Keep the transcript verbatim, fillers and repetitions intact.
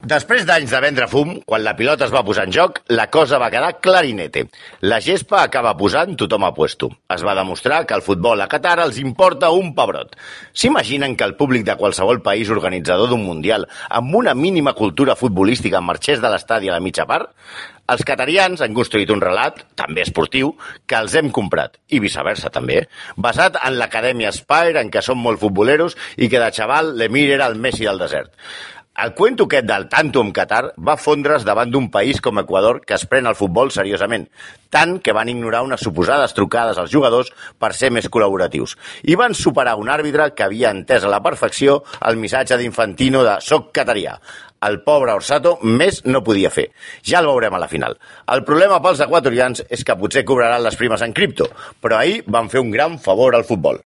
Després d'anys de vendre fum, quan la pilota es va posar en joc, la cosa va quedar clarinete. La gespa acaba posant tothom a puesto. Es va demostrar que el futbol a Qatar els importa un pebrot. S'imaginen que el públic de qualsevol país organitzador d'un mundial amb una mínima cultura futbolística marxés de l'estadi a la mitja part? Els qatarians han construït un relat, també esportiu, que els hem comprat, i viceversa també, basat en l'acadèmia Spire, en què som molt futboleros i que de xaval l'Emir era el Messi del desert. El cuento aquest del tanto amb Qatar va fondre's davant d'un país com Equador que es pren el futbol seriosament, tant que van ignorar unes suposades trucades als jugadors per ser més col·laboratius. I van superar un àrbitre que havia entès a la perfecció el missatge d'Infantino de «Soc catarià». El pobre Orsato més no podia fer. Ja el veurem a la final. El problema pels equatorians és que potser cobraran les primes en cripto, però ahir van fer un gran favor al futbol.